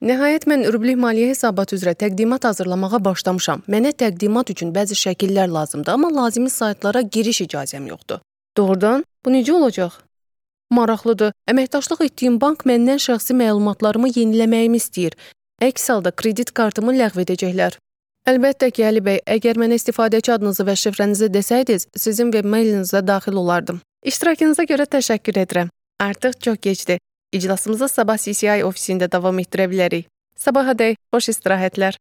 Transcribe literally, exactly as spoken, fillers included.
Nəhayət mən rublik maliyyə hesabatı üzrə təqdimat hazırlamağa başlamışam. Mənə təqdimat üçün bəzi şəkillər lazımdır, amma lazımi saytlara giriş icazəm yoxdur. Doğrudan? Bu necə olacaq? Maraqlıdır. Əməkdaşlıq etdiyim bank məndən şəxsi məlumatlarımı yeniləməyimi istəyir. Əks halda kredit kartımı ləğv edəcəklər. Əlbəttə ki, Əli bəy, əgər mənə istifadəçi adınızı və şifrənizi desəydiniz, sizin web mailinizə daxil olardım. İştirakınıza görə təşəkkür edirəm. Artıq çox gecdir. İclasımızı sabah C C I ofisində davam etdirə bilərik. Sabahadək, xoş istirahətlər.